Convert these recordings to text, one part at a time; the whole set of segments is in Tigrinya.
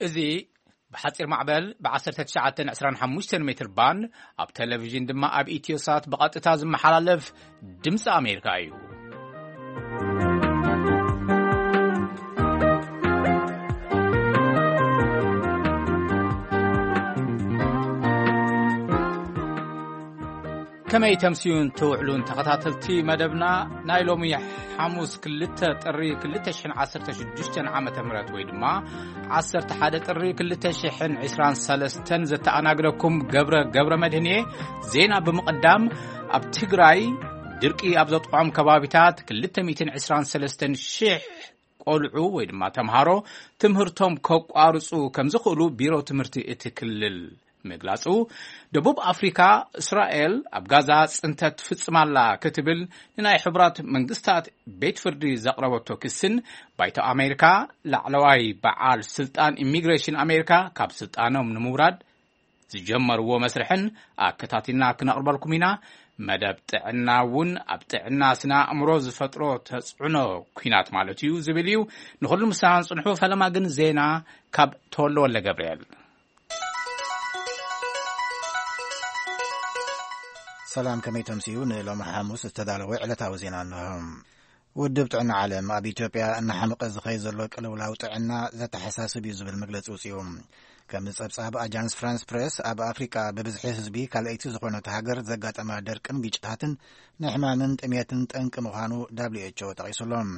እዚ ብሓጺር ማዕበል ብ1925 ሜትር ባንድ፣ ኣብ ቴሌቪዥን ድማ ኣብ ኢትዮሳት ብቐጥታ ዝመሓላለፍ ድምፂ ኣሜሪካ እዩ። ከመይ ተምስዩን ትውዕሉን ተኸታተልቲ መደብና፣ ናይ ሎሚ ሓሙስ ክልተ ጥሪ ክልተ ሽሕን ዓሰርተ ሽዱሽተን ዓመተ ምህረት ወይ ድማ ዓሰርተ ሓደ ጥሪ ክልተ ሽሕን ዕስራን ሰለስተን ዘተኣናግደኩም ገብረ ገብረ መድህን እየ። ዜና ብምቕዳም፣ ኣብ ትግራይ ድርቂ ኣብ ዘጥቆዖም ከባቢታት ክልተ ሚእትን ዕስራን ሰለስተን ሽሕ ቆልዑ ወይ ድማ ተምሃሮ ትምህርቶም ከቋርጹ ከም ዝኽእሉ ቢሮ ትምህርቲ እቲ ክልል ምግላጹ፣ ደቡብ ኣፍሪካ እስራኤል ኣብ ጋዛ ጽንተት ትፍጽም ኣላ ክትብል ንናይ ሕቡራት መንግስታት ቤት ፍርዲ ዘቕረበቶ ክስን፣ ባይቶ ኣሜሪካ ላዕለዋይ በዓል ስልጣን ኢሚግሬሽን ኣሜሪካ ካብ ስልጣኖም ንምውራድ ዝጀመርዎ መስርሕን ኣከታቲልና ክነቕርበልኩም ኢና። መደብ ጥዕና እውን ኣብ ጥዕና ስነ ኣእምሮ ዝፈጥሮ ተጽዕኖ፣ ኲናት ማለት እዩ ዝብል እዩ። ንኹሉ ምሳና ጽንሑ። ፈለማ ግን ዜና ካብ ተወልደ ወልደ ገብርኤል። ሰላም፣ ከመይ ተምስዩ? ንሎሚ ሓሙስ ዝተዳለወ ዕለታዊ ዜና እንሆ። ውድብ ጥዕና ዓለም ኣብ ኢትዮጵያ እናሓመቐ ዝኸይ ዘሎ ቅልውላው ጥዕና ዘተሓሳስብ እዩ ዝብል መግለጺ ውጽኡ። ከም ጸብጻብ ኣጃንስ ፍራንስ ፕሬስ፣ ኣብ ኣፍሪቃ ብብዝሒ ህዝቢ ካልኣይቲ ዝኾነት ሃገር ዘጋጠማ ደርቅን ግጭታትን ንሕማምን ጥሜትን ጠንቂ ምዃኑ ደብሊው ኤች ኦ ጠቒሱሎም።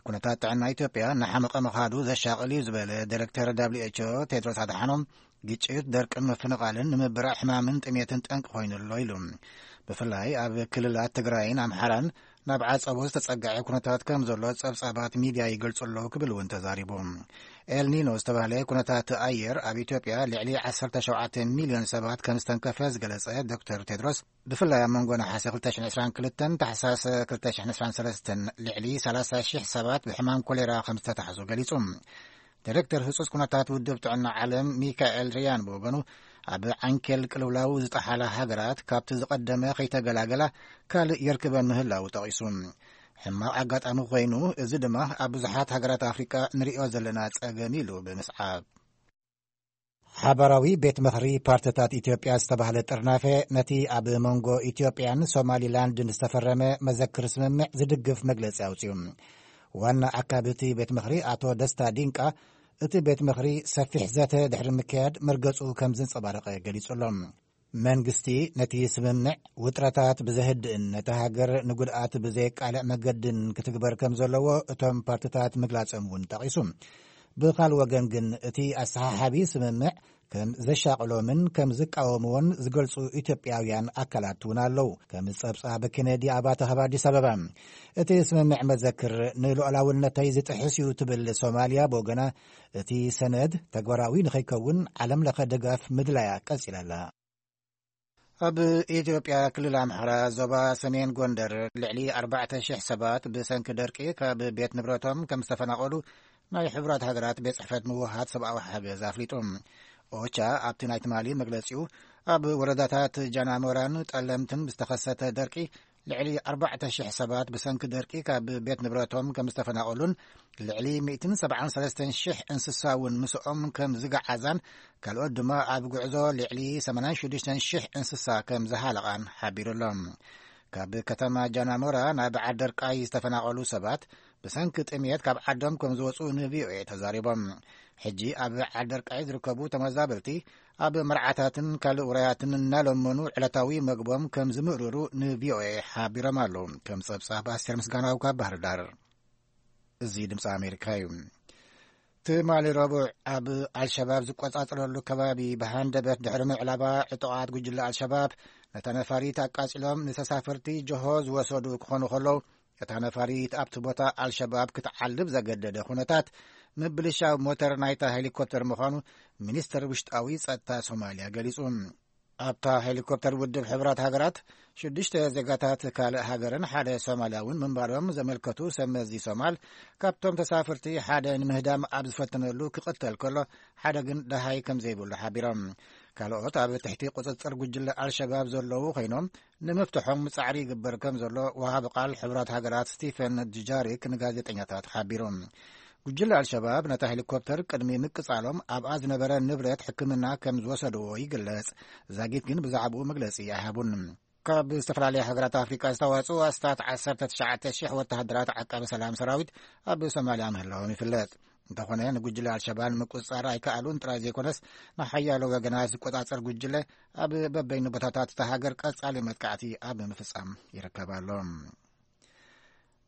ኩነታት ጥዕና ኢትዮጵያ እናሓመቐ ምኻዱ ዘሻቕል እዩ ዝበለ ዳይሬክተር ደብሊው ኤች ኦ ቴድሮስ ኣድሓኖም፣ ግጭት፣ ደርቅን ምፍንቓልን ንምብራዕ ሕማምን ጥሜትን ጠንቂ ኮይኑ ኣሎ ኢሉ። ብፍላይ ኣብ ክልላት ትግራይን ኣምሓራን ናብ ዓጸቦ ዝተጸግዐ ኩነታት ከም ዘሎ ጸብጻባት ሚድያ ይገልጹ ኣለዉ ክብል እውን ተዛሪቡ። ኤልኒኖ ዝተባህለ ኩነታት ኣየር ኣብ ኢትዮጵያ ልዕሊ ዓሰርተ ሸውዓተ ሚልዮን ሰባት ከም ዝተንከፈ ዝገለጸ ዶክተር ቴድሮስ፣ ብፍላይ ኣብ መንጎ ነሓሰ ክልተ ሽሕን ዕስራን ክልተን ታሕሳስ ክልተ ሽሕን ዕስራን ሰለስተን ልዕሊ ሰላሳ ሺሕ ሰባት ብሕማም ኮሌራ ከም ዝተታሕዙ ገሊጹ። ዳይሬክተር ህጹጽ ኩነታት ውድብ ጥዕና ዓለም ሚካኤል ሪያን ብወገኑ፣ ኣብ ዓንኬል ቅልውላው ዝጠሓላ ሃገራት ካብቲ ዝቐደመ ከይተገላገላ ካልእ የርክበን ምህላው ጠቒሱ። ሕማቕ ኣጋጣሚ ኮይኑ፣ እዚ ድማ ኣብ ብዙሓት ሃገራት ኣፍሪቃ ንሪኦ ዘለና ጸገም ኢሉ ብምስዓብ። ሓባራዊ ቤት ምኽሪ ፓርትታት ኢትዮጵያ ዝተባህለ ጥርናፈ ነቲ ኣብ መንጎ ኢትዮጵያን ሶማሊላንድን ዝተፈረመ መዘክር ስምምዕ ዝድግፍ መግለጺ ኣውጽኡ። ዋና ኣካቢ እቲ ቤት ምኽሪ ኣቶ ደስታ ዲንቃ፣ እቲ ቤት ምኽሪ ሰፊሕ ዘተ ድሕሪ ምክያድ መርገጹ ከም ዘንጸባረቐ ገሊጹ ኣሎ። መንግስቲ ነቲ ስምምዕ ውጥረታት ብዘህድእን ነታ ሃገር ንጉድኣት ብዘየቃልዕ መገድን ክትግበር ከም ዘለዎ እቶም ፓርትታት ምግላጾም እውን ጠቒሱ። ብኻልእ ወገን ግን እቲ ኣሰሓሓቢ ስምምዕ ከም ዘሻቕሎምን ከም ዝቃወምዎን ዝገልጹ ኢትዮጵያውያን ኣካላት እውን ኣለዉ። ከም ጸብጻብ ኬነዲ ኣባተ ካብ ኣዲስ ኣበባ። እቲ ስምምዕ መዘክር ንሉዓላውነተይ ዝጥሕስ እዩ ትብል ሶማልያ ብወገና፣ እቲ ሰነድ ተግባራዊ ንኸይከውን ዓለም ለኸ ድጋፍ ምድላያ ቀጺላ ኣላ። ኣብ ኢትዮጵያ ክልል ኣምሓራ ዞባ ሰሜን ጎንደር ልዕሊ ኣርባዕተ ሽሕ ሰባት ብሰንኪ ደርቂ ካብ ቤት ንብረቶም ከም ዝተፈናቐሉ ናይ ሕቡራት ሃገራት ቤት ጽሕፈት ምውሃት ሰብኣዊ ሓገዝ ኣፍሊጡ። ኦቻ ኣብቲ ናይ ትማሊ መግለጺኡ፣ ኣብ ወረዳታት ጃናሞራን ጠለምትን ብዝተኸሰተ ደርቂ ልዕሊ ኣርባዕተ ሽሕ ሰባት ብሰንኪ ደርቂ ካብ ቤት ንብረቶም ከም ዝተፈናቐሉን ልዕሊ ሚእትን ሰብዓን ሰለስተን ሽሕ እንስሳ እውን ምስኦም ከም ዝገዓዛን ካልኦት ድማ ኣብ ጉዕዞ ልዕሊ ሰማንያን ሽዱሽተን ሽሕ እንስሳ ከም ዝሃለቓን ሓቢሩ ኣሎ። ካብ ከተማ ጃናሞራ ናብ ዓደርቃይ ዝተፈናቐሉ ሰባት ብሰንኪ ጥሜት ካብ ዓዶም ከም ዝወፁ ንቪኦኤ ተዛሪቦም። ሕጂ ኣብ ዓደርቃይ ዝርከቡ ተመዛበልቲ ኣብ መርዓታትን ካልእ ውራያትን እናለመኑ ዕለታዊ መግቦም ከም ዝምእርሩ ንቪኦኤ ሓቢሮም ኣለዉ። ከም ጸብጻብ ኣስቴር ምስጋናው ካብ ባህር ዳር። እዚ ድምፂ ኣሜሪካ እዩ። ትማሊ ረቡዕ ኣብ ኣልሸባብ ዝቆጻጸረሉ ከባቢ ብሃንደበት ድሕሪ ምዕላባ፣ ዕጡቓት ጉጅለ ኣልሸባብ ነታ ነፋሪት ኣቃጺሎም ንተሳፈርቲ ጆሆ ዝወሰዱ ክኾኑ ከለዉ፣ እታ ነፋሪት ኣብቲ ቦታ ኣልሸባብ ክትዓልብ ዘገደደ ኩነታት ምብልሻው ሞተር ናይታ ሄሊኮፕተር ምዃኑ ሚኒስተር ውሽጣዊ ጸጥታ ሶማልያ ገሊጹ። ኣብታ ሄሊኮፕተር ውድብ ሕቡራት ሃገራት ሽዱሽተ ዜጋታት ካልእ ሃገርን ሓደ ሶማልያውን ምንባሮም ዘመልከቱ ሰብ መዚ ሶማል፣ ካብቶም ተሳፈርቲ ሓደ ንምህዳም ኣብ ዝፈተነሉ ክቕተል ከሎ፣ ሓደ ግን ደሃይ ከም ዘይብሉ ሓቢሮም። ካልኦት ኣብ ትሕቲ ቁጽጽር ጉጅለ ኣልሸባብ ዘለዉ ኮይኖም፣ ንምፍትሖም ጻዕሪ ይግበር ከም ዘሎ ወሃቢ ቃል ሕቡራት ሃገራት ስቲፈን ዱጃሪክ ንጋዜጠኛታት ሓቢሩ። ጉጅለ ኣልሸባብ ነታ ሄሊኮፕተር ቅድሚ ምቅጻሎም ኣብኣ ዝነበረ ንብረት ሕክምና ከም ዝወሰድዎ ይግለጽ። ዛጊት ግን ብዛዕባኡ መግለጺ ኣይሃቡን። ካብ ዝተፈላለያ ሃገራት ኣፍሪቃ ዝተዋጽኡ ኣስታት ዓሰርተ ትሽዓተ ሽሕ ወተሃደራት ዓቃቢ ሰላም ሰራዊት ኣብ ሶማልያ ምህላዎም ይፍለጥ። እንተኾነ፣ ንጉጅለ ኣልሸባብ ንምቁጽጻር ኣይከኣሉን ጥራይ ዘይኮነስ፣ ንሓያሎ ወገናት ዝቆጻጸር ጉጅለ ኣብ በበይኑ ቦታታት እታ ሃገር ቀጻሊ መጥቃዕቲ ኣብ ምፍጻም ይርከብ ኣሎ።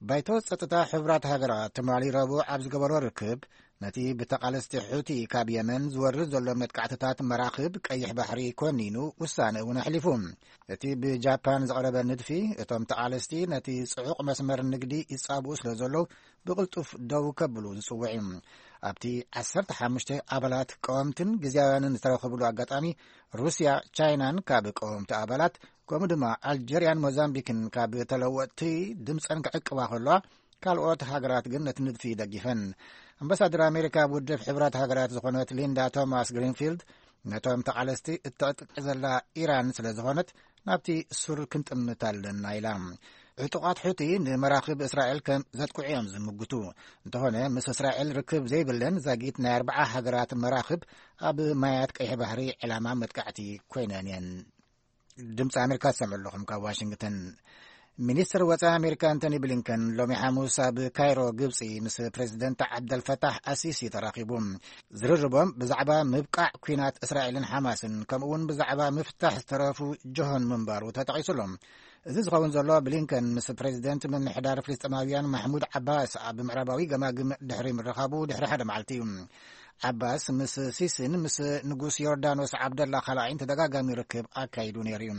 ባይቶ ጸጥታ ሕቡራት ሃገራት ትማሊ ረቡዕ ኣብ ዝገበሮ ርክብ፣ ነቲ ብተቓለስቲ ሑቲ ካብ የመን ዝወርድ ዘሎ መጥቃዕትታት መራኽብ ቀይሕ ባሕሪ ኮኒኑ ውሳነ እውን ኣሕሊፉ። እቲ ብጃፓን ዝቐረበ ንድፊ፣ እቶም ተቓለስቲ ነቲ ጽዑቕ መስመር ንግዲ ይጻብኡ ስለ ዘለዉ፣ ብቕልጡፍ ደው ከብሉ ዝጽውዕ እዩ። ኣብቲ ዓሰርተ ሓሙሽተ ኣባላት ቀወምትን ግዝያውያንን ዝተረኸብሉ ኣጋጣሚ፣ ሩስያ፣ ቻይናን ካብ ቀወምቲ ኣባላት፣ ከምኡ ድማ ኣልጀርያን ሞዛምቢክን ካብ ተለወጥቲ ድምፀን ክዕቅባ ከለዋ፣ ካልኦት ሃገራት ግን ነቲ ንድፊ ደጊፈን። ኣምባሳደር ኣሜሪካ ኣብ ውድብ ሕቡራት ሃገራት ዝኾነት ሊንዳ ቶማስ ግሪንፊልድ፣ ነቶም ተቓለስቲ እተዕጥቕ ዘላ ኢራን ስለ ዝኾነት፣ ናብቲ ሱር ክንጥምት ኣለና ኢላ። ዕጡቓት ሑቲ ንመራኽብ እስራኤል ከም ዘጥቅዑ እዮም ዝምጉቱ። እንተኾነ፣ ምስ እስራኤል ርክብ ዘይብለን ዛጊት ናይ ኣርብዓ ሃገራት መራኽብ ኣብ ማያት ቀይሕ ባሕሪ ዕላማ መጥቃዕቲ ኮይነን እየን። ድምፂ ኣሜሪካ ትሰምዑ ኣለኹም ካብ ዋሽንግተን። ሚኒስትር ወፃኢ ኣሜሪካ ኣንቶኒ ብሊንከን ሎሚ ሓሙስ ኣብ ካይሮ ግብፂ ምስ ፕሬዚደንት ዓብደልፈታሕ ኣሲሲ ተራኺቡ። ዝርርቦም ብዛዕባ ምብቃዕ ኲናት እስራኤልን ሓማስን፣ ከምኡ እውን ብዛዕባ ምፍታሕ ዝተረፉ ጀሆን ምንባሩ ተጠቒሱ ኣሎ። እዚ ዝኸውን ዘሎ ብሊንከን ምስ ፕሬዚደንት ምምሕዳር ፍልስጤማውያን ማሕሙድ ዓባስ ኣብ ምዕራባዊ ገማግም ድሕሪ ምርኻቡ ድሕሪ ሓደ መዓልቲ እዩ። ዓባስ ምስ ሲሲን ምስ ንጉስ ዮርዳኖስ ዓብደላ ካልኣይን ተደጋጋሚ ርክብ ኣካይዱ ነይሩ እዩ።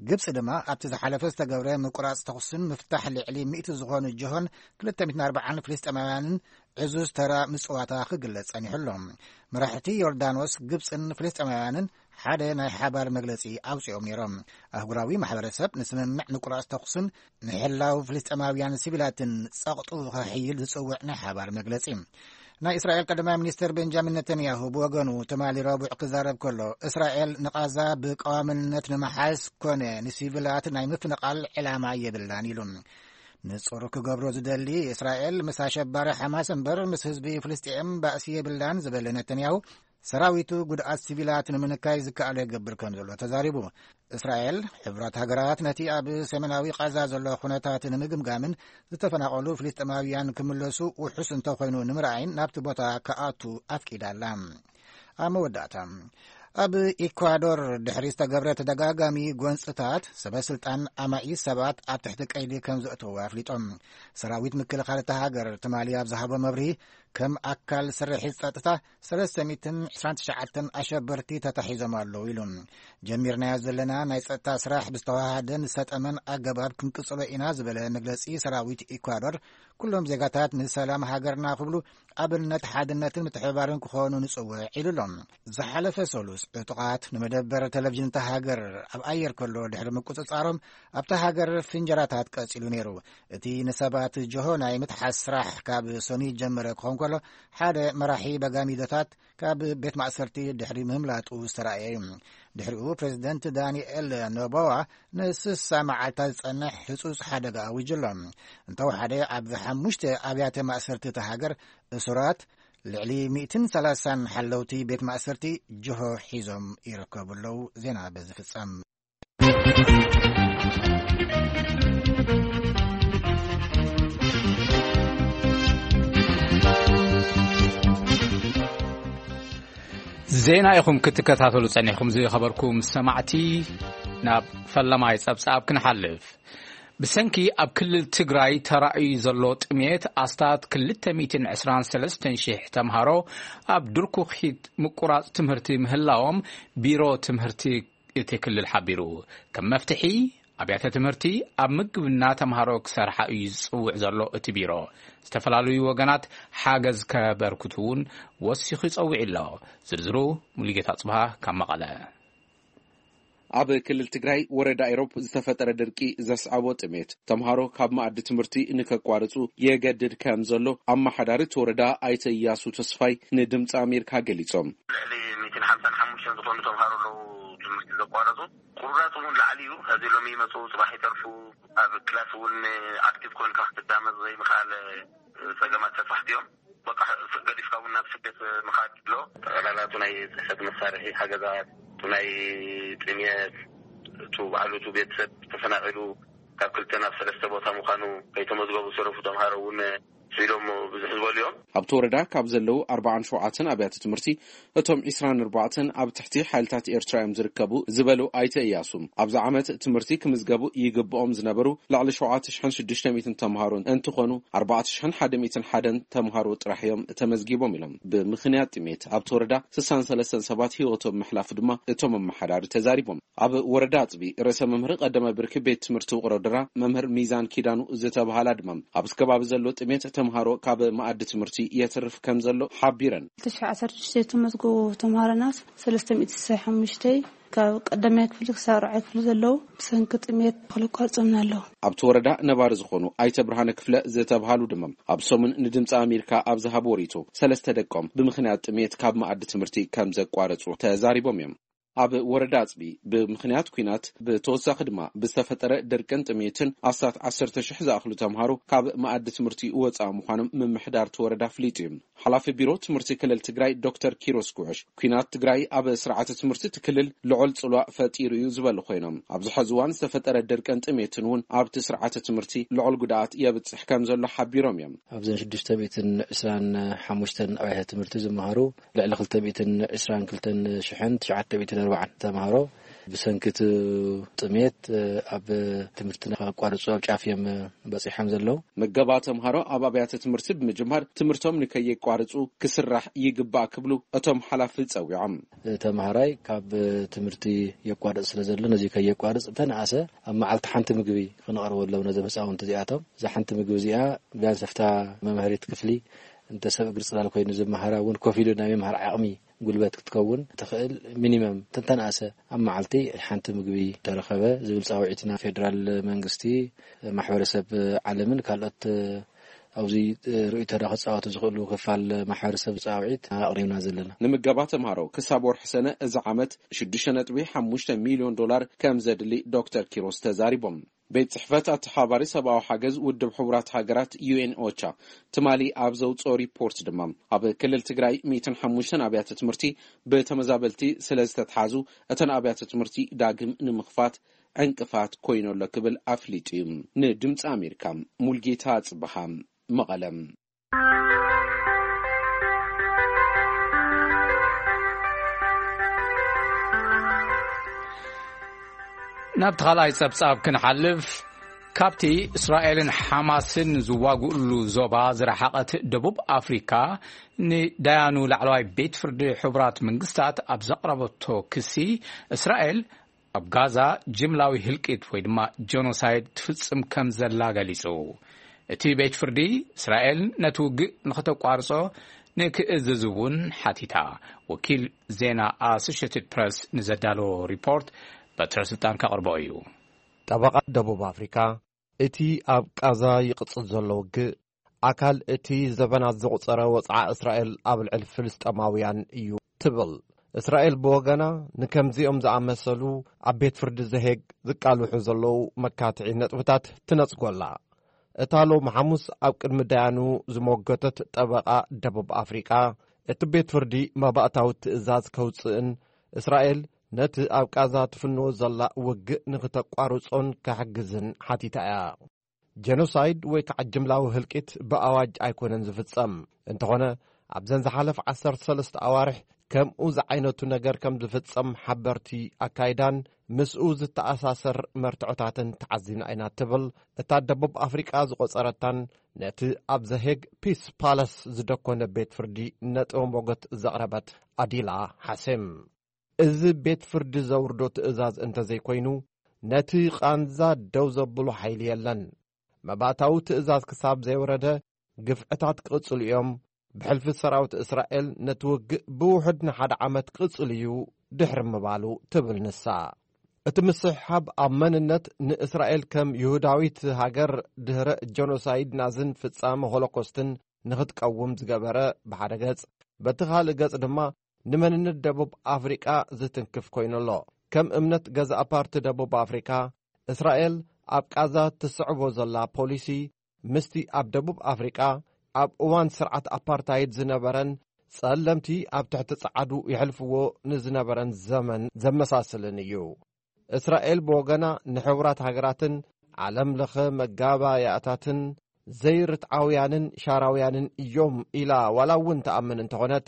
ግብፂ ድማ ኣብቲ ዝሓለፈ ዝተገብረ ምቁራፅ ተኹስን ምፍታሕ ልዕሊ ሚእቲ ዝኾኑ ጅሆን ክልተ ሚእትን ኣርባዓን ፍልስጤማውያንን ዕዙዝ ተራ ምፅዋታ ክግለፅ ፀኒሑ ኣሎ። መራሕቲ ዮርዳኖስ፣ ግብፅን ፍልስጤማውያንን ሓደ ናይ ሓባር መግለፂ ኣውፂኦም ነይሮም። ኣህጉራዊ ማሕበረሰብ ንስምምዕ ምቁራፅ ተኹስን ንሕላው ፍልስጤማውያን ሲቪላትን ጸቕጡ ከሕይል ዝጽውዕ ናይ ሓባር መግለጺ። ናይ እስራኤል ቀዳማይ ሚኒስትር ቤንጃሚን ነተንያሁ ብወገኑ ትማሊ ረቡዕ ክዛረብ ከሎ፣ እስራኤል ንቓዛ ብቀዋምነት ንምሓዝ ኮነ ንሲቪላት ናይ ምፍንቓል ዕላማ የብላን ኢሉ። ንጹር ክገብሮ ዝደሊ፣ እስራኤል ምስ ኣሸባሪ ሓማስ እምበር ምስ ህዝቢ ፍልስጤም ባእሲ የብላን ዝበለ ነተንያሁ፣ ሰራዊቱ ጉድኣት ሲቪላት ንምንካይ ዝከኣሎ ይገብር ከም ዘሎ ተዛሪቡ። እስራኤል፣ ሕቡራት ሃገራት ነቲ ኣብ ሰሜናዊ ቃዛ ዘሎ ኩነታት ንምግምጋምን ዝተፈናቐሉ ፍልስጤማውያን ክምለሱ ውሑስ እንተኾይኑ ንምርኣይን ናብቲ ቦታ ክኣቱ ኣፍቂዳ ኣላ። ኣብ መወዳእታ፣ ኣብ ኢኳዶር ድሕሪ ዝተገብረ ተደጋጋሚ ጎንፅታት፣ ሰበ ስልጣን ኣማኢት ሰባት ኣብ ትሕቲ ቀይዲ ከም ዘእተዉ ኣፍሊጦም። ሰራዊት ምክልኻል እታ ሃገር ትማሊ ኣብ ዝሃቦ መብርሂ፣ ከም ኣካል ስርሒት ጸጥታ፣ ሰለስተ ሚእትን ዕስራን ትሽዓተን ኣሸበርቲ ተታሒዞም ኣለዉ ኢሉ። ጀሚርናዮ ዘለና ናይ ጸጥታ ስራሕ ብዝተዋሃደን ዝሰጠመን ኣገባብ ክንቅጽሎ ኢና ዝበለ መግለጺ ሰራዊት ኢኳዶር፣ ኩሎም ዜጋታት ንሰላም ሃገርና ክብሉ ኣብነት ሓድነትን ምትሕብባርን ክኾኑ ንጽውዕ ኢሉ ኣሎ። ዝሓለፈ ሰሉስ ዕጡቓት ንመደበር ቴሌቪዥን እታ ሃገር ኣብ ኣየር ከሎ ድሕሪ ምቁጽጻሮም ኣብታ ሃገር ፍንጀራታት ቀጺሉ ነይሩ። እቲ ንሰባት ጅሆ ናይ ምትሓዝ ስራሕ ካብ ሰኑይ ጀመረ ክኸውን ከሎ፣ ሓደ መራሒ በጋሚዶታት ካብ ቤት ማእሰርቲ ድሕሪ ምህምላጡ ዝተራእየ እዩ። ድሕሪኡ ፕሬዚደንት ዳንኤል ኖቦዋ ንስሳ መዓልታት ዝጸንሕ ህጹጽ ሓደጋ ኣዊጁ ኣሎ። እንተወሓደ ኣብ ሓሙሽተ ኣብያተ ማእሰርቲ እታ ሃገር እሱራት ልዕሊ ሚእትን ሰላሳን ሓለውቲ ቤት ማእሰርቲ ጅሆ ሒዞም ይርከቡ ኣለዉ። ዜና በዚ ፍጸም። ዜና ኢኹም ክትከታተሉ ጸኒሕኩም ዝኸበርኩም ሰማዕቲ። ናብ ፈለማይ ጸብጻብ ክንሓልፍ። ብሰንኪ ኣብ ክልል ትግራይ ተራእዩ ዘሎ ጥሜት ኣስታት ክልተ ሚእትን ዕስራን ሰለስተን ሽሕ ተምሃሮ ኣብ ድርኩኺት ምቁራጽ ትምህርቲ ምህላዎም ቢሮ ትምህርቲ እቲ ክልል ሓቢሩ። ከም መፍትሒ ኣብያተ ትምህርቲ ኣብ ምግብና ተምሃሮ ክሰርሓ እዩ ዝጽውዕ ዘሎ እቲ ቢሮ። ዝተፈላለዩ ወገናት ሓገዝ ከበርክቱ እውን ወሲኹ ይጸውዕ ኣሎ። ዝርዝሩ ሙሉጌታ ጽብሃ ካብ መቐለ። ኣብ ክልል ትግራይ ወረዳ ኢሮብ ዝተፈጠረ ድርቂ ዘስዓቦ ጥሜት ተምሃሮ ካብ መኣዲ ትምህርቲ ንከቋርጹ የገድድ ከም ዘሎ ኣመሓዳሪ እቲ ወረዳ ኣይተ እያሱ ተስፋይ ንድምፂ ኣሜሪካ ገሊጾም። ልዕሊ ሚእትን ሓምሳን ሓሙሽተን ዝኾኑ ተምሃሮ ኣለዉ ትምህርቲ ዘቋረጹ። ቁሩራጽ እውን ላዕሊ እዩ። ሕዚ ሎሚ ይመጹ፣ ጽባሕ ይተርፉ። ኣብ ክላስ እውን ኣክቲቭ ኮንካ ክትዳመጽ ዘይምኽኣል ጸገማት ተጻሕቲ እዮም። በቃ፣ ገዲፍካ እውን ናብ ስደት ምኻድ ኣሎ። ጠቕላላ እቲ ናይ ጽሕፈት መሳርሒ ሓገዛት፣ እቲ ናይ ጥምየት፣ እቱ ባዕሉ እቱ ቤተሰብ ተፈናቒሉ ካብ ክልተ ናብ ሰለስተ ቦታ ምዃኑ፣ ከይተመዝገቡ ዝተረፉ ተምሃሮ እውን ስኢሎም ብዙሕ ዝበሉ እዮም። ኣብቲ ወረዳ ካብ ዘለዉ ኣርባዓን ሸውዓተን ኣብያተ ትምህርቲ፣ እቶም ዒስራን ኣርባዕተን ኣብ ትሕቲ ሓይልታት ኤርትራ እዮም ዝርከቡ ዝበሉ ኣይተ እያሱ፣ ኣብዚ ዓመት ትምህርቲ ክምዝገቡ ይግብኦም ዝነበሩ ልዕሊ ሸውዓተ ሽሕን ሽዱሽተ ሚእትን ተምሃሮ እንትኾኑ፣ ኣርባዕተ ሽሕን ሓደን ተምሃሮ ጥራሕ እዮም ተመዝጊቦም ኢሎም። ብምኽንያት ጥሜት ኣብቲ ወረዳ ስሳን ሰለስተን ሰባት ህይወቶም ምሕላፉ ድማ እቶም ኣመሓዳሪ ተዛሪቦም። ኣብ ወረዳ ኣጽቢ ርእሰ መምህር ቀዳማይ ብርኪ ቤት ትምህርቲ ውቕሮ ድራ መምህር ሚዛን ኪዳኑ ዝተባሃላ ድማ፣ ኣብዚ ከባቢ ዘሎ ጥሜት ተምሃሮ ካብ መኣዲ ትምህርቲ የትርፍ ከም ዘሎ ሓቢረን። ክልተ ሽሕ ዓሰርተ ሽዱሽተ ተመዝገቡ ተምሃሮና ሰለስተ ሚእቲ ስሳይ ሓሙሽተ ካብ ቀዳማይ ክፍሊ ክሳብ ራብዓይ ክፍሊ ዘለዉ ብሰንኪ ጥሜት ክልቋርጾምና ኣለዉ። ኣብቲ ወረዳ ነባሪ ዝኾኑ ኣይተ ብርሃነ ክፍለ ዝተባሃሉ ድማ፣ ኣብ ሰሙን ንድምፂ ኣሜሪካ ኣብ ዝሃብዎ ርእይቶ፣ ሰለስተ ደቆም ብምኽንያት ጥሜት ካብ መኣዲ ትምህርቲ ከም ዘቋረጹ ተዛሪቦም እዮም። ኣብ ወረዳ ኣፅቢ ብምኽንያት ኲናት፣ ብተወሳኺ ድማ ብዝተፈጠረ ድርቅን ጥሜትን ኣስታት ዓሰርተ ሽሕ ዝኣኽሉ ተምሃሮ ካብ መኣዲ ትምህርቲ ወፃኢ ምዃኖም ምምሕዳር እቲ ወረዳ ኣፍሊጡ እዩ። ሓላፊ ቢሮ ትምህርቲ ክልል ትግራይ ዶክተር ኪሮስ ጉዕሽ፣ ኲናት ትግራይ ኣብ ስርዓተ ትምህርቲ እቲ ክልል ልዑል ፅልዋ ፈጢሩ እዩ ዝበሉ ኮይኖም፣ ኣብዚ ሐዚ እዋን ዝተፈጠረ ድርቅን ጥሜትን እውን ኣብቲ ስርዓተ ትምህርቲ ልዑል ጉድኣት የብፅሕ ከም ዘሎ ሓቢሮም እዮም። ኣብዘን ሽዱሽተ ሚእትን ዕስራን ሓሙሽተን ኣብያተ ትምህርቲ ዝመሃሩ ልዕሊ ክልተ ሚእትን ዕስራን ክልተን ሽሕን ትሽዓተ ሚእትን ኣርባዓን ተምሃሮ ብሰንኪ እቲ ጥሜት ኣብ ትምህርቲ ንኸቋርጹ ኣብ ጫፍ እዮም በጺሖም ዘለዉ። ምገባ ተምሃሮ ኣብ ኣብያተ ትምህርቲ ብምጅማር ትምህርቶም ንከየቋርጹ ክስራሕ ይግባእ ክብሉ እቶም ሓላፊ ጸዊዖም። ተምሃራይ ካብ ትምህርቲ የቋርጽ ስለ ዘሎ፣ ነዚ ከየቋርጽ እንተነኣሰ ኣብ መዓልቲ ሓንቲ ምግቢ ክነቕርበሎም ነዞም ህጻውንቲ እዚኣቶም። እዛ ሓንቲ ምግቢ እዚኣ ቢያንስ ኣብታ መምሃሪት ክፍሊ እንተ ሰብ እግሪ ጽላል ኮይኑ ዝመሃራ እውን ኮፍ ኢሉ ናይ ምምሃር ዓቕሚ ጉልበት ክትከውን ትኽእል ሚኒመም እንተነኣሰ ኣብ መዓልቲ ሓንቲ ምግቢ ተረኸበ ዝብል ጻውዒትና ፌደራል መንግስቲ፣ ማሕበረሰብ ዓለምን ካልኦት ኣብዚ ርእይቶና ክጻወቱ ዝኽእሉ ክፋል ማሕበረሰብ ጻውዒት ኣቕሪብና ዘለና። ንምገባ ተምሃሮ ክሳብ ወርሒ ሰነ እዚ ዓመት ሽዱሽተ ነጥቢ ሓሙሽተ ሚልዮን ዶላር ከም ዘድሊ ዶክተር ኪሮስ ተዛሪቦም። ቤት ጽሕፈት ኣተሓባባሪ ሰብኣዊ ሓገዝ ውድብ ሕቡራት ሃገራት ዩ ኤን ኦቻ ትማሊ ኣብ ዘውጽኦ ሪፖርት ድማ፣ ኣብ ክልል ትግራይ ሚእትን ሓሙሽተን ኣብያተ ትምህርቲ ብተመዛበልቲ ስለ ዝተትሓዙ፣ እተን ኣብያተ ትምህርቲ ዳግም ንምኽፋት ዕንቅፋት ኮይኑ ኣሎ ክብል ኣፍሊጡ እዩ። ንድምፂ ኣሜሪካ ሙልጌታ ጽበሃ፣ መቐለ። ናብቲ ካልኣይ ጸብጻብ ክንሓልፍ፣ ካብቲ እስራኤልን ሓማስን ዝዋግእሉ ዞባ ዝረሓቐት ደቡብ ኣፍሪካ፣ ንዳያኑ ላዕለዋይ ቤት ፍርዲ ሕቡራት መንግስታት ኣብ ዘቕረበቶ ክሲ፣ እስራኤል ኣብ ጋዛ ጅምላዊ ህልቂት ወይ ድማ ጀኖሳይድ ትፍጽም ከም ዘላ ገሊጹ። እቲ ቤት ፍርዲ፣ እስራኤል ነቲ ውግእ ንኽተቋርጾ ንክእዝዝ እውን ሓቲታ። ወኪል ዜና ኣሶሽየትድ ፕረስ ንዘዳለዎ ሪፖርት በትረ ስልጣን ከቕርቦ እዩ። ጠበቓ ደቡብ ኣፍሪካ፣ እቲ ኣብ ቃዛ ይቕጽል ዘሎ ውግእ ኣካል እቲ ዘበናት ዘቑጸረ ወጽዓ እስራኤል ኣብ ልዕሊ ፍልስጤማውያን እዩ ትብል። እስራኤል ብወገና፣ ንከምዚኦም ዝኣመሰሉ ኣብ ቤት ፍርዲ ዘሄግ ዝቃልሑ ዘለዉ መካትዒ ነጥብታት ትነጽጎ ኣላ። እታ ሎሚ ሓሙስ ኣብ ቅድሚ ዳያኑ ዝሞገተት ጠበቓ ደቡብ ኣፍሪቃ፣ እቲ ቤት ፍርዲ መባእታዊ ትእዛዝ ከውጽእን እስራኤል ነቲ ኣብ ቃዛ ትፍንዎ ዘላ ውግእ ንኽተቋርጾን ክሕግዝን ሓቲታ እያ። ጀኖሳይድ ወይ ከዓ ጅምላዊ ህልቂት ብኣዋጅ ኣይኮነን ዝፍጸም። እንተኾነ፣ ኣብዘን ዝሓለፍ ዓሰርተ ሰለስተ ኣዋርሕ ከምኡ ዝዓይነቱ ነገር ከም ዝፍጸም ሓበርቲ ኣካይዳን ምስኡ ዝተኣሳሰር መርትዖታትን ተዓዚብና ኢና ትብል እታ ደቡብ ኣፍሪቃ ዝቖጸረታን ነቲ ኣብ ዘሄግ ፒስ ፓለስ ዝደኮነ ቤት ፍርዲ ነጥበ ሞገት ዘቕረበት ኣዲላ ሓሴም። እዚ ቤት ፍርዲ ዘውርዶ ትእዛዝ እንተዘይኮይኑ፣ ነቲ ቃንዛ ደው ዘብሎ ሓይሊ የለን። መባእታዊ ትእዛዝ ክሳብ ዘይወረደ፣ ግፍዕታት ክቕጽሉ እዮም። ብሕልፊ ሰራዊት እስራኤል ነቲ ውግእ ብውሑድ ንሓደ ዓመት ክቕጽል እዩ ድሕሪ ምባሉ፣ ትብል ንሳ። እቲ ምስሕሓብ ኣብ መንነት ንእስራኤል ከም ይሁዳዊት ሃገር ድህረ ጀኖሳይድ ናዝን ፍጻመ ሆሎኮስትን ንኽትቀውም ዝገበረ ብሓደ ገጽ፣ በቲ ካልእ ገጽ ድማ ንመንነት ደቡብ ኣፍሪቃ ዝትንክፍ ኮይኑ ኣሎ። ከም እምነት ገዛእ ፓርቲ ደቡብ ኣፍሪቃ፣ እስራኤል ኣብ ቃዛ ትስዕቦ ዘላ ፖሊሲ ምስቲ ኣብ ደቡብ ኣፍሪቃ ኣብ እዋን ስርዓት ኣፓርታይድ ዝነበረን ጸለምቲ ኣብ ትሕቲ ጸዓዱ የሕልፍዎ ንዝነበረን ዘመን ዘመሳስልን እዩ። እስራኤል ብወገና ንሕቡራት ሃገራትን ዓለም ለኸ መጋባእያታትን ዘይርትዓውያንን ሻራውያንን እዮም ኢላ ዋላ እውን ትኣምን እንተኾነት፣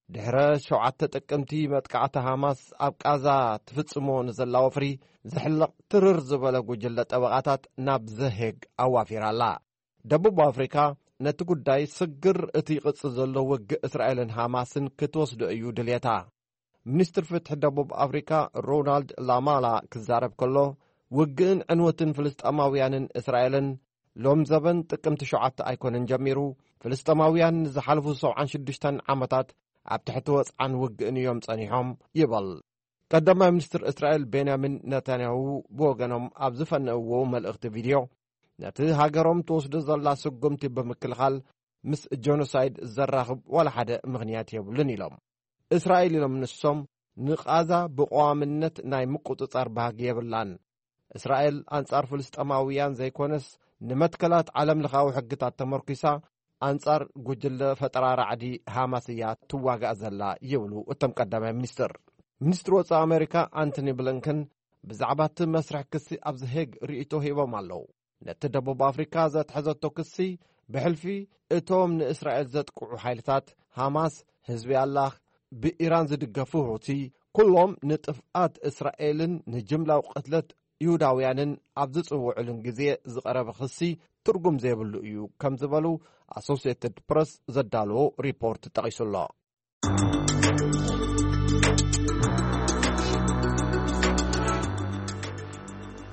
ድሕረ ሸውዓተ ጥቅምቲ መጥቃዕቲ ሃማስ ኣብ ቃዛ ትፍጽሞ ንዘላ ወፍሪ ዝሕለቕ ትርር ዝበለ ጉጅለ ጠበቓታት ናብ ዘሄግ ኣዋፊራ ኣላ። ደቡብ ኣፍሪካ ነቲ ጉዳይ ስግር እቲ ይቕጽል ዘሎ ውግእ እስራኤልን ሃማስን ክትወስዶ እዩ ድልየታ። ሚኒስትር ፍትሒ ደቡብ ኣፍሪካ ሮናልድ ላማላ ክዛረብ ከሎ፣ ውግእን ዕንወትን ፍልስጤማውያንን እስራኤልን ሎም ዘበን ጥቅምቲ ሸውዓተ ኣይኮነን ጀሚሩ። ፍልስጤማውያን ንዝሓለፉ ሰብዓን ሽዱሽተን ዓመታት ኣብ ትሕቲ ወጽዓን ውግእን እዮም ጸኒሖም ይበል። ቀዳማይ ሚኒስትር እስራኤል ቤንያሚን ነታንያሁ ብወገኖም ኣብ ዝፈነእዎ መልእኽቲ ቪድዮ፣ ነቲ ሃገሮም ትወስዶ ዘላ ስጉምቲ ብምክልኻል ምስ ጀኖሳይድ ዘራኽብ ዋላ ሓደ ምኽንያት የብሉን ኢሎም። እስራኤል ኢሎም ንሶም ንቓዛ ብቐዋምነት ናይ ምቁጽጻር ባህጊ የብላን። እስራኤል ኣንጻር ፍልስጤማውያን ዘይኮነስ ንመትከላት ዓለም ለኻዊ ሕግታት ተመርኪሳ ኣንጻር ጉጅለ ፈጠራ ራዕዲ ሃማስ እያ ትዋጋእ ዘላ ይብሉ እቶም ቀዳማይ ሚኒስትር። ሚኒስትሪ ወጻኢ ኣሜሪካ ኣንቶኒ ብሊንከን ብዛዕባ እቲ መስርሕ ክሲ ኣብ ዘሄግ ርእይቶ ሂቦም ኣለዉ። ነቲ ደቡብ ኣፍሪካ ዘትሐዘቶ ክሲ ብሕልፊ እቶም ንእስራኤል ዘጥቅዑ ሓይልታት ሃማስ፣ ህዝቢ ኣላህ፣ ብኢራን ዝድገፉ ሁቲ፣ ኩሎም ንጥፍኣት እስራኤልን ንጅምላዊ ቅትለት ይሁዳውያንን ኣብ ዝጽውዑሉን ግዜ ዝቐረበ ክሲ ትርጉም ዘይብሉ እዩ ከም ዝበሉ ኣሶሲየትድ ፕረስ ዘዳለዎ ሪፖርት ጠቒሱ ኣሎ።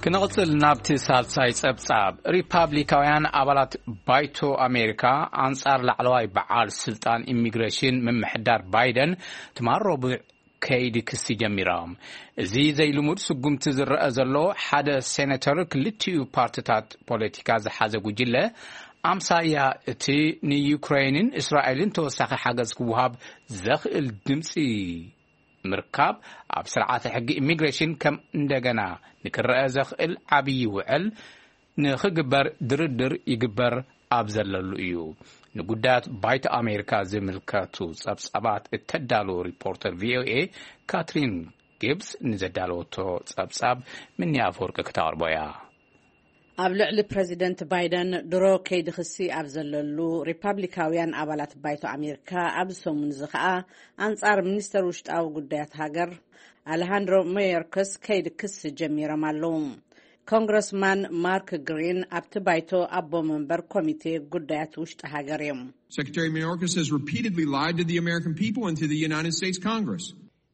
ክንቕጽል ናብቲ ሳልሳይ ጸብጻብ። ሪፓብሊካውያን ኣባላት ባይቶ ኣሜሪካ ኣንጻር ላዕለዋይ በዓል ስልጣን ኢሚግሬሽን ምምሕዳር ባይደን ትማል ረቡዕ ከይዲ ክሲ ጀሚሮም። እዚ ዘይልሙድ ስጉምቲ ዝረአ ዘሎ፣ ሓደ ሴኔተር ክልቲኡ ፓርትታት ፖለቲካ ዝሓዘ ጉጅለ ኣምሳያ እቲ ንዩክሬንን እስራኤልን ተወሳኺ ሓገዝ ክወሃብ ዘኽእል ድምፂ ምርካብ ኣብ ስርዓተ ሕጊ ኢሚግሬሽን ከም እንደገና ንክረአ ዘኽእል ዓብዪ ውዕል ንኽግበር ድርድር ይግበር ኣብ ዘለሉ እዩ። ንጉዳያት ባይቶ ኣሜሪካ ዝምልከቱ ጸብጻባት እተዳለወ ሪፖርተር ቪኦኤ ካትሪን ጊብስ ንዘዳለወቶ ጸብጻብ ምኒ ኣፈወርቂ ክተቕርቦ እያ። ኣብ ልዕሊ ፕረዚደንት ባይደን ድሮ ከይዲ ክሲ ኣብ ዘለሉ ሪፓብሊካውያን ኣባላት ባይቶ ኣሜሪካ ኣብዚ ሰሙን እዚ ኸኣ ኣንጻር ሚኒስተር ውሽጣዊ ጉዳያት ሃገር ኣለሃንድሮ ሜዮርከስ ከይዲ ክሲ ጀሚሮም ኣለዉ። ኮንግረስማን ማርክ ግሪን ኣብቲ ባይቶ ኣቦ መንበር ኮሚቴ ጉዳያት ውሽጢ ሃገር እዮም። Secretary Mayorkas has repeatedly lied to the American people and to the United States Congress.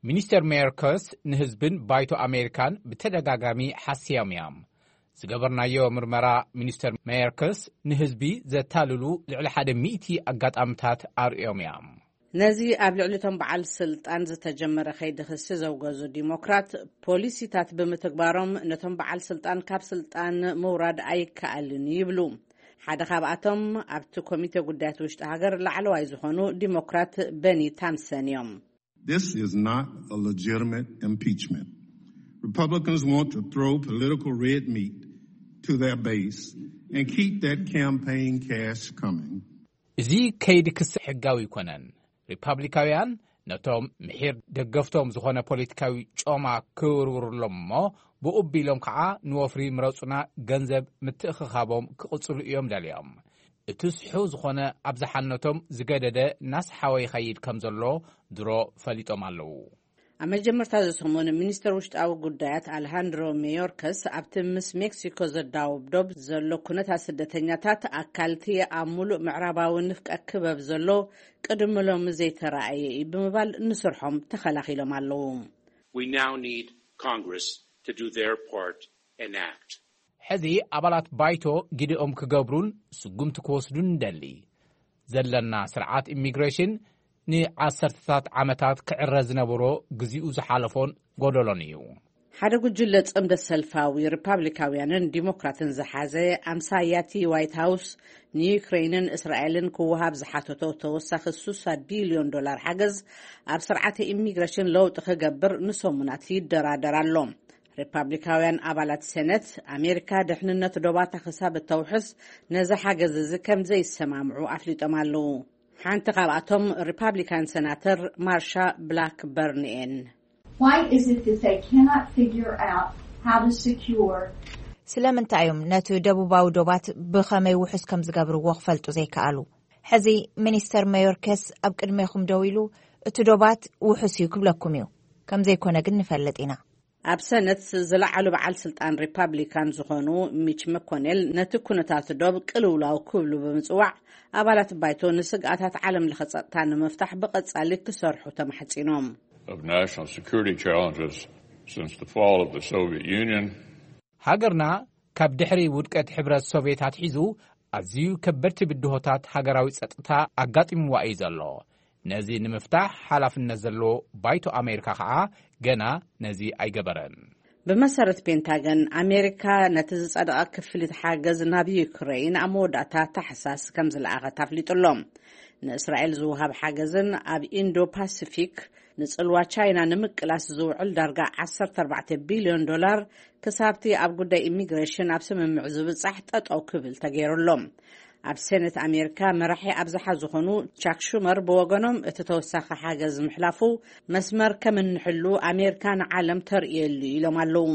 ሚኒስተር ሜዮርከስ ንህዝብን ባይቶ ኣሜሪካን ብተደጋጋሚ ሓስዮም እዮም። ዝገበርናዮ ምርመራ፣ ሚኒስተር ሜዮርከስ ንህዝቢ ዘታልሉ ልዕሊ ሓደ ሚእቲ ኣጋጣምታት ኣርእዮም እዮም። ነዚ ኣብ ልዕሊ እቶም በዓል ስልጣን ዝተጀመረ ከይዲ ክሲ ዘውገዙ ዲሞክራት፣ ፖሊሲታት ብምትግባሮም ነቶም በዓል ስልጣን ካብ ስልጣን ምውራድ ኣይከኣልን ይብሉ። ሓደ ካብኣቶም ኣብቲ ኮሚቴ ጉዳያት ውሽጢ ሃገር ላዕለዋይ ዝኾኑ ዲሞክራት በኒ ታንሰን እዮም። This is not a legitimate impeachment. Republicans want to throw political red meat to their base and keep that campaign cash coming. እዚ ከይዲ ክሲ ሕጋዊ ኣይኮነን። ሪፓብሊካውያን ነቶም ምሒር ደገፍቶም ዝኾነ ፖለቲካዊ ጮማ ክውርውርሎም እሞ፣ ብኡ ኣቢሎም ከዓ ንወፍሪ ምረጹና ገንዘብ ምትእኽኻቦም ክቕጽሉ እዮም ደልዮም። እቲ ስሑ ዝኾነ ኣብ ዝሓነቶም ዝገደደ እናስሓወ ይኸይድ ከም ዘሎ ድሮ ፈሊጦም ኣለዉ። ኣብ መጀመርታ እዚ ሰሙን፣ ሚኒስተር ውሽጣዊ ጉዳያት ኣልሃንድሮ ሜዮርከስ ኣብቲ ምስ ሜክሲኮ ዘዳውብ ዶብ ዘሎ ኩነታት ስደተኛታት ኣካልቲ ኣብ ሙሉእ ምዕራባዊ ንፍቀ ክበብ ዘሎ ቅድሚ ሎሚ ዘይተራእየ እዩ ብምባል ንስርሖም ተኸላኺሎም ኣለዉ። We now need Congress to do their part and act. ሕዚ ኣባላት ባይቶ ግዲኦም ክገብሩን ስጉምቲ ክወስዱን ንደሊ። ዘለና ስርዓት ኢሚግሬሽን ንዓሰርተታት ዓመታት ክዕረ ዝነበሮ፣ ግዜኡ ዝሓለፎን ጎደሎን እዩ። ሓደ ጉጅለ ጽምደ ሰልፋዊ ሪፓብሊካውያንን ዲሞክራትን ዝሓዘ ኣምሳያቲ ዋይት ሃውስ ንዩክሬንን እስራኤልን ክወሃብ ዝሓተቶ ተወሳኺ ስሳ ቢልዮን ዶላር ሓገዝ ኣብ ስርዓተ ኢሚግሬሽን ለውጢ ክገብር ንሰሙናት ይደራደር ኣሎ። ሪፓብሊካውያን ኣባላት ሴነት፣ ኣሜሪካ ድሕንነት ዶባታ ክሳብ እተውሕስ፣ ነዚ ሓገዝ እዚ ከም ዘይሰማምዑ ኣፍሊጦም ኣለዉ። ሓንቲ ካብኣቶም ሪፓብሊካን ሴናተር ማርሻ ብላክበርን እየን። Why is it that they cannot figure out how to secure? ስለምንታይ እዮም ነቲ ደቡባዊ ዶባት ብኸመይ ውሑስ ከም ዝገብርዎ ክፈልጡ ዘይከኣሉ? ሕዚ ሚኒስተር መዮርከስ ኣብ ቅድሜኹም ደው ኢሉ፣ እቲ ዶባት ውሑስ እዩ ክብለኩም እዩ። ከም ዘይኮነ ግን ንፈልጥ ኢና። ኣብ ሰነት ዝለዓሉ በዓል ስልጣን ሪፓብሊካን ዝኾኑ ሚች መኮኔል፣ ነቲ ኩነታት ዶብ ቅልውላው ክብሉ ብምጽዋዕ፣ ኣባላት ባይቶ ንስግኣታት ዓለም ለኸ ጸጥታ ንምፍታሕ ብቐጻሊ ክሰርሑ ተማሕጺኖም። Of national security challenges since the fall of the Soviet Union. ሃገርና ካብ ድሕሪ ውድቀት ሕብረት ሶቪየት ኣትሒዙ ኣዝዩ ከበድቲ ብድሆታት ሃገራዊ ጸጥታ ኣጋጢምዋ እዩ ዘሎ። ነዚ ንምፍታሕ ሓላፍነት ዘለዎ ባይቶ ኣሜሪካ ከዓ ገና ነዚ ኣይገበረን። ብመሰረት ፔንታገን፣ ኣሜሪካ ነቲ ዝጸደቐ ክፍሊት ሓገዝ ናብ ዩክረይን ኣብ መወዳእታ ታሕሳስ ከም ዝለኣኸት ኣፍሊጡ ኣሎ። ንእስራኤል ዝወሃብ ሓገዝን ኣብ ኢንዶ ፓሲፊክ ንጽልዋ ቻይና ንምቅላስ ዝውዕል ዳርጋ ዓሰርተ ኣርባዕተ ቢልዮን ዶላር ክሳብቲ ኣብ ጉዳይ ኢሚግሬሽን ኣብ ስምምዕ ዝብጻሕ ጠጠው ክብል ተገይሩ ኣሎ። ኣብ ሴኔት ኣሜሪካ መራሒ ኣብዝሓ ዝኾኑ ቻክ ሹመር ብወገኖም፣ እቲ ተወሳኺ ሓገዝ ምሕላፉ መስመር ከም እንሕሉ ኣሜሪካ ንዓለም ተርእየሉ ኢሎም ኣለዉ።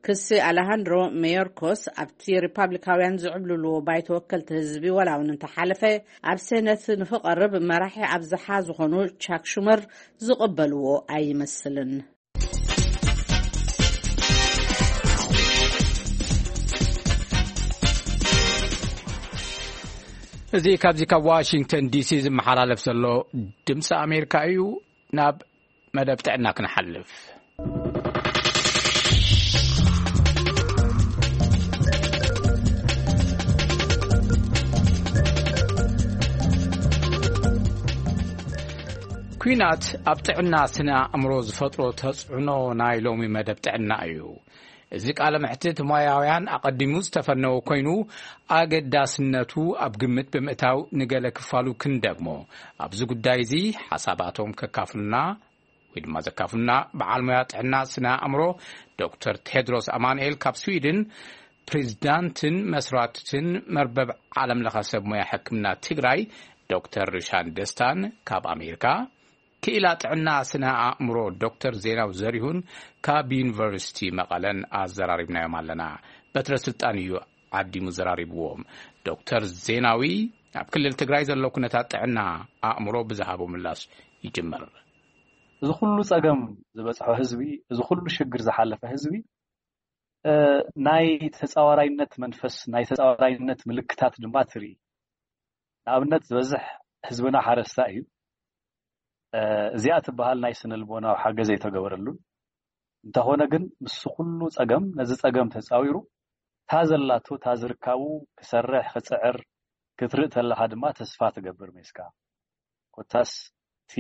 ክሲ ኣለሃንድሮ ሜዮርኮስ ኣብቲ ሪፓብሊካውያን ዝዕብልልዎ ባይቶ ወከልቲ ህዝቢ ዋላ እውን እንተሓለፈ፣ ኣብ ሴነት ንክቐርብ መራሒ ኣብዝሓ ዝኾኑ ቻክ ሹመር ዝቕበልዎ ኣይመስልን። እዚ ካብዚ ካብ ዋሽንግተን ዲሲ ዝመሓላለፍ ዘሎ ድምፂ ኣሜሪካ እዩ። ናብ መደብ ጥዕና ክንሓልፍ። ኲናት ኣብ ጥዕና ስነ ኣእምሮ ዝፈጥሮ ተጽዕኖ ናይ ሎሚ መደብ ጥዕና እዩ። እዚ ቃለ መሕትት ሞያውያን ኣቐዲሙ ዝተፈነወ ኮይኑ፣ ኣገዳስነቱ ኣብ ግምት ብምእታው ንገለ ክፋሉ ክንደግሞ፣ ኣብዚ ጉዳይ እዚ ሓሳባቶም ከካፍሉና ወይ ድማ ዘካፍሉና በዓል ሞያ ጥዕና ስነ ኣእምሮ ዶክተር ቴድሮስ ኣማኑኤል ካብ ስዊድን፣ ፕሬዚዳንትን መስራትን መርበብ ዓለም ለኸ ሰብ ሞያ ሕክምና ትግራይ ዶክተር ሪሻን ደስታን ካብ ኣሜሪካ፣ ክኢላ ጥዕና ስነ ኣእምሮ ዶክተር ዜናዊ ዘሪሁን ካብ ዩኒቨርሲቲ መቐለን ኣዘራሪብናዮም ኣለና። በትረ ስልጣን እዩ ዓዲሙ ዘራሪብዎም። ዶክተር ዜናዊ ኣብ ክልል ትግራይ ዘሎ ኩነታት ጥዕና ኣእምሮ ብዝሃቦ ምላሽ ይጅምር። እዚ ኩሉ ጸገም ዝበጽሖ ህዝቢ፣ እዚ ኩሉ ሽግር ዝሓለፈ ህዝቢ፣ እ፣ ናይ ተጻዋራይነት መንፈስ፣ ናይ ተጻዋራይነት ምልክታት ድማ ትርኢ። ንኣብነት ዝበዝሕ ህዝብና ሓረስታይ እዩ። እ፣ እዚኣ ትበሃል ናይ ስነ ልቦናዊ ሓገዝ ኣይተገበረሉን። እንተኾነ ግን ምስ ኩሉ ጸገም፣ ነዚ ጸገም ተጻዊሩ፣ እታ ዘላቶ፣ እታ ዝርካቡ ክሰርሕ፣ ክጽዕር ክትርኢ ተለኻ ድማ ተስፋ ትገብር ሜስካ። ኮታስ እቲ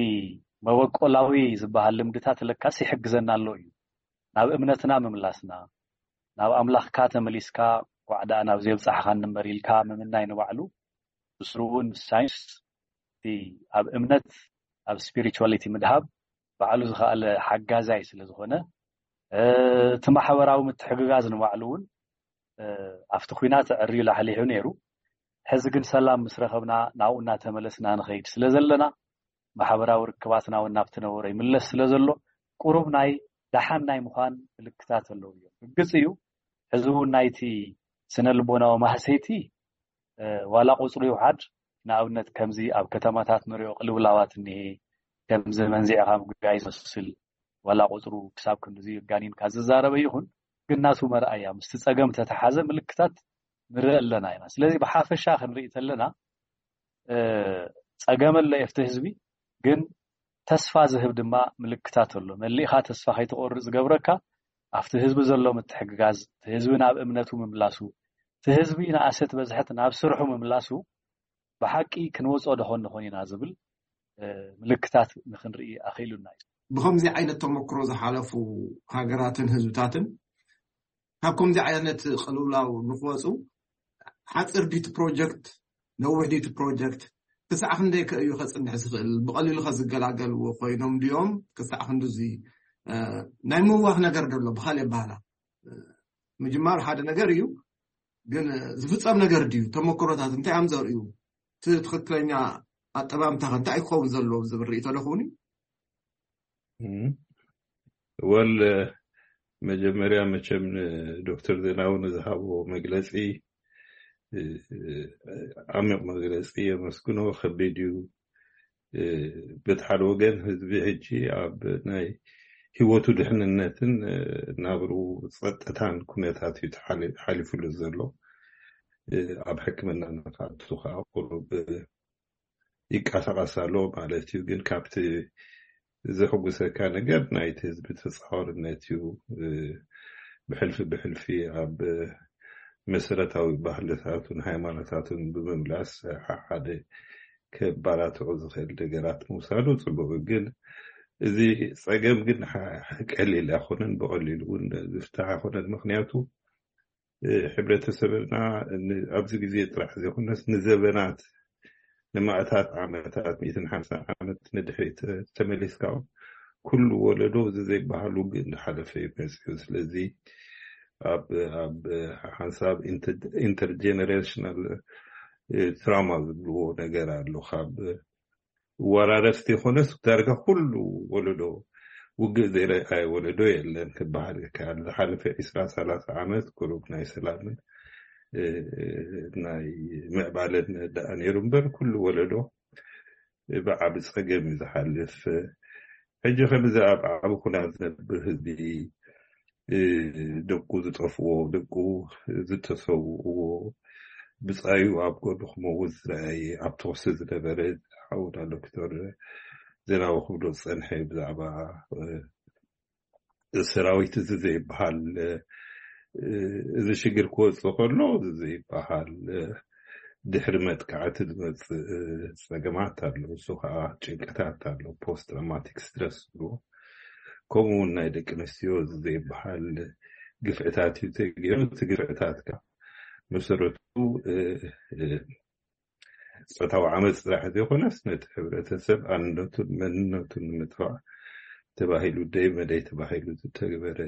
መበቆላዊ ዝበሃል ልምድታት ለካስ ይሕግዘና ኣሎ እዩ። ናብ እምነትና ምምላስና፣ ናብ ኣምላኽካ ተመሊስካ፣ ኳዕ ደኣ ናብ ዘየብጻሕኻኒ እምበር ኢልካ ምምናይ ንባዕሉ፣ ብስሩ እውን ምስ ሳይንስ፣ እቲ ኣብ እምነት፣ ኣብ ስፒሪቹዋሊቲ ምድሃብ ባዕሉ ዝኸኣለ ሓጋዛይ ስለ ዝኾነ፣ እ፣ እቲ ማሕበራዊ ምትሕግጋዝ ንባዕሉ እውን፣ እ፣ ኣብቲ ኲናት ኣዕርዩ ላሕሊሑ ነይሩ። ሕዚ ግን ሰላም ምስ ረኸብና ናብኡ እናተመለስና ንኸይድ ስለ ዘለና፣ ማሕበራዊ ርክባትና እውን ናብቲ ነበሮ ይምለስ ስለ ዘሎ፣ ቁሩብ ናይ ደሓን ናይ ምዃን ምልክታት ኣለዉ እዮም። ርግጽ እዩ፣ ሕዚ እውን ናይቲ ስነ ልቦናዊ ማህሰይቲ፣ እ፣ ዋላ ቁጽሩ ይውሓድ፣ ንኣብነት ከምዚ ኣብ ከተማታት ንሪኦ ቅልውላዋት እኒሄ፣ ከምዚ መንዚዕኻ ምግጋይ ዝመስል፣ ዋላ ቁጽሩ ክሳብ ክንድዚ ጋኒንካ ዝዛረበ ይኹን፣ ግን ናቱ መርኣያ ምስቲ ጸገም ተተሓዘ ምልክታት ንርኢ ኣለና ኢና። ስለዚ ብሓፈሻ ክንርኢ ተለና፣ እ፣ ጸገም ኣሎ የፍቲ ህዝቢ፣ ግን ተስፋ ዝህብ ድማ ምልክታት ኣሎ። መሊእኻ ተስፋ ከይትቆርጽ ዝገብረካ ኣብቲ ህዝቢ ዘሎ ምትሕግጋዝ፣ እቲ ህዝቢ ናብ እምነቱ ምምላሱ፣ እቲ ህዝቢ ንኣሰት በዝሐት ናብ ስርሑ ምምላሱ፣ ብሓቂ ክንወጾ ደኾን ንኾን ኢና ዝብል፣ እ፣ ምልክታት ንክንርኢ ኣኽኢሉና እዩ። ብኸምዚ ዓይነት ተመክሮ ዝሓለፉ ሃገራትን ህዝብታትን ካብ ከምዚ ዓይነት ቅልውላው ንክወፁ ሓፂር ዲቲ ፕሮጀክት፣ ነዊሕ ዲቲ ፕሮጀክት ክሳዕ ክንደይ ከ እዩ ከፅንሕ ዝኽእል? ብቐሊሉ ከ ዝገላገልዎ ኮይኖም ድዮም? ክሳዕ ክንድዚ፣ እ፣ ናይ ምዋህ ነገር ደሎ ብኻል የባህላ። ምጅማር ሓደ ነገር እዩ፣ ግን ዝፍጸም ነገር ድዩ? ተመክሮታት እንታይ እዮም ዘርእዩ? እቲ ትኽክለኛ ኣጠማምታ ከ እንታይ ክኸውን ዘለዎ ዝብል ርእይቶ ዶ ክኸውን እዩ? እም፣ ወል መጀመርያ መቸም ንዶክተር ዜናዊ ንዝሃቦ መግለፂ እ፣ ዓሚቕ መግለፂ የመስግኖ። ከቢድ እዩ። እ፣ በቲ ሓደ ወገን ህዝቢ ሕጂ ኣብ ናይ ህይወቱ ድሕንነትን፣ እ፣ ናብሩ ፀጥታን ኩነታት እዩ ተሓሊ- ሓሊፉሉ ዘሎ። እ፣ ኣብ ሕክምና ንክኣቱ ከዓ ቁሩብ ይቀሳቀስ ኣሎ ማለት እዩ። ግን ካብቲ ዘሕጉሰካ ነገር ናይቲ ህዝቢ ተፃዋርነት እዩ። እ፣ ብሕልፊ ብሕልፊ ኣብ መሰረታዊ ባህልታቱን ሃይማኖታቱን ብምምላስ ሓደ ከባላትዑ ዝኽእል ነገራት ምውሳዱ ፅቡቅ እዩ። ግን እዚ ፀገም ግን ሓ- ቀሊል ኣይኮነን፣ ብቀሊሉ እውን ዝፍታሕ ኣይኮነን። ምክንያቱ እ፣ ሕብረተሰብና ን- ኣብዚ ግዜ ጥራሕ ዘይኮነስ ንዘበናት ንማእታት ዓመታት ሚእትን ሓምሳን ዓመት ንድሕሪት ተመሊስካ እውን ኩሉ ወለዶ እዚ ዘይበሃል ውግእ እንዳሓለፈ እዩ መፅኡ። ስለዚ ኣብ ኣብ ሓንሳብ ኢንተርጀነሬሽናል ትራማ ዝብልዎ ነገር ኣሎ። ካብ ወራረስቲ ይኾነስ ዳርጋ ኩሉ ወለዶ ውግእ ዘይረኣየ ወለዶ የለን ክበሃል ይከኣል። ዝሓለፈ ዒስራ ሰላሳ ዓመት ቁሩብ ናይ ሰላምን እ፣ ናይ ምዕባለን ደኣ ነይሩ እምበር ኩሉ ወለዶ ብዓቢ ፀገም እዩ ዝሓልፍ። ሕጂ ከምዚ ኣብ ዓቢ ኩናት ዝነብር ህዝቢ እ፣ ደቁ ዝጠፍዎ፣ ደቁ ዝተሰውእዎ፣ ብፃዩ ኣብ ጎድኑ ክመውት ዝረኣየ፣ ኣብ ተኹሲ ዝነበረ ሓውና ዶክተር ዜናዊ ክብሎ ዝፀንሐ ብዛዕባ እ፣ ሰራዊት እዚ ዘይበሃል እ፣ እዚ ሽግር ክወፅእ ከሎ እዚ ዘይበሃል እ፣ ድሕሪ መጥቃዕቲ ዝመፅእ እ፣ ፀገማት ኣሎ። እሱ ከዓ ጭንቀታት ኣሎ፣ ፖስት ትራውማቲክ ስትረስ ዝብልዎ። ከምኡ እውን ናይ ደቂ ኣንስትዮ እዚ ዘይበሃል ግፍዕታት እዩ ተገይሩ። እቲ ግፍዕታት ከዓ መሰረቱ እ፣ እ፣ ፆታዊ ዓመፅ ጥራሕ ዘይኮነስ ነቲ ሕብረተሰብ ኣንነቱን መንነቱን ንምጥፋእ ተባሂሉ ደይ መደይ ተባሂሉ ዝተገበረ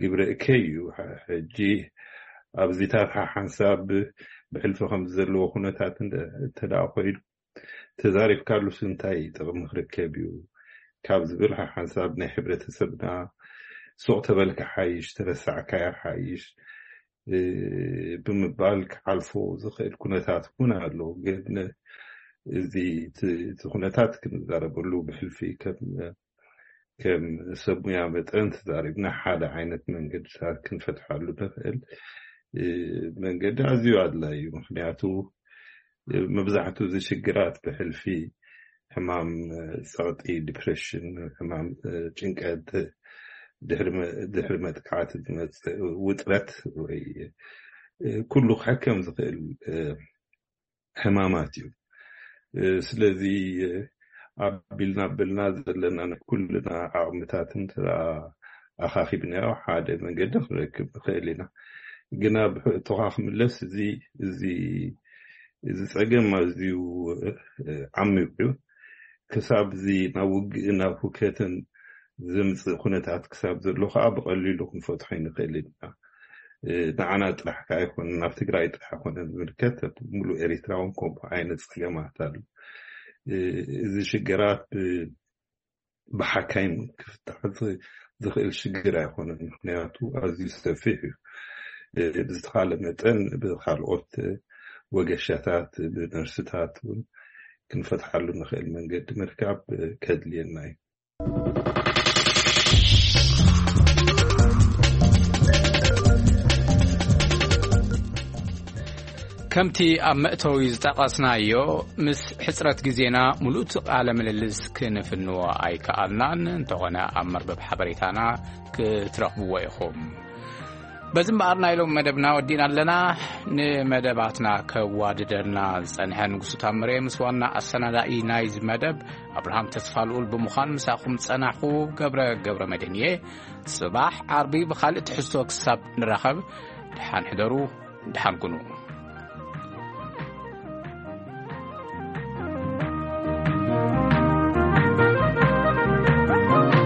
ግብረ እከይ እዩ። ሐ- ሕጂ ኣብዚታት ሓ- ሓንሳብ ብሕልፊ ከም ዘለዎ ኩነታት እንተ- እንተ ደኣ ኮይኑ ተዛሪብካሉስ እንታይ ጥቕሚ ክርከብ እዩ ካብ ዝብል ሓ- ሓንሳብ ናይ ሕብረተሰብና ሱቕ ተበልካ ሓይሽ ተረሳዕካያ ሓይሽ እ፣ ብምባል ክሓልፎ ዝኽእል ኩነታት እውን ኣሎ። ግን እዚ እቲ እቲ ኩነታት ክንዛረበሉ ብሕልፊ ከም ከም ሰብ ሙያ መጠን ተዛሪብና ሓደ ዓይነት መንገድታት ክንፈትሓሉ ንኽእል እ፣ መንገዲ ኣዝዩ ኣድላዪ እዩ። ምክንያቱ እ፣ መብዛሕትኡ እዚ ሽግራት ብሕልፊ ሕማም እ፣ ጸቕጢ፣ ዲፕሬሽን፣ ሕማም እ፣ ጭንቀት፣ ድሕሪ መ- ድሕሪ መጥቃዕቲ ዝመጽእ ውጥረት ወይ እ፣ ኩሉ ክሕከም ዝኽእል እ፣ ሕማማት እዩ። እ፣ ስለዚ እ፣ ኣቢልና ኣቢልና ዘለና ናይ ኩልና ዓቕምታት እንተ ኣኻኺብናዮ ሓደ መንገዲ ክንረክብ ንኽእል ኢና። ግና ብሕቶኻ ክምለስ እዚ እዚ እዚ ፀገም ኣዝዩ እ፣ ዓሚቕ እዩ። ክሳብ እዚ ናብ ውግእን ናብ ሁከትን ዘምፅእ ኩነታት ክሳብ ዘሎ ከዓ ብቐሊሉ ክንፈትሖ ይንኽእል ኢና። እ፣ ንዓና ጥራሕ ከዓ ኣይኮነን፣ ናብ ትግራይ ጥራሕ ኣይኮነን ዝምልከት፣ ሙሉእ ኤሪትራ እውን ከምኡ ዓይነት ፀገማት ኣሎ። እ፣ እዚ ሽግራት ብ- ብሓካይም ክፍታሕ ዝ- ዝኽእል ሽግር ኣይኮነን። ምክንያቱ ኣዝዩ ሰፊሕ እዩ። እ፣ ብዝተኻለ መጠን ብካልኦት ወገሻታት ብነርስታት እውን ክንፈትሓሉ ንኽእል መንገዲ ምርካብ እ፣ ከድልየና እዩ። ከምቲ ኣብ መእተዊ ዝጠቐስናዮ፣ ምስ ሕጽረት ግዜና ምሉእ ቃለ ምልልስ ክንፍንዎ ኣይከኣልናን። እንተኾነ ኣብ መርበብ ሓበሬታና ክትረኽብዎ ኢኹም። በዚ እምበኣር ናይ ሎም መደብና ወዲእና ኣለና። ንመደባትና ከዋድደልና ዝጸንሐ ንጉሱ ታምሬ ምስ ዋና ኣሰናዳኢ ናይዚ መደብ ኣብርሃም ተስፋልኡል ብምዃን ምሳኹም ጸናኹ። ገብረ ገብረ መድህን እየ። ጽባሕ ዓርቢ ብኻልእ ትሕዝቶ ክሳብ ንራኸብ፣ ደሓን ሕደሩ፣ ደሓን ኩኑ።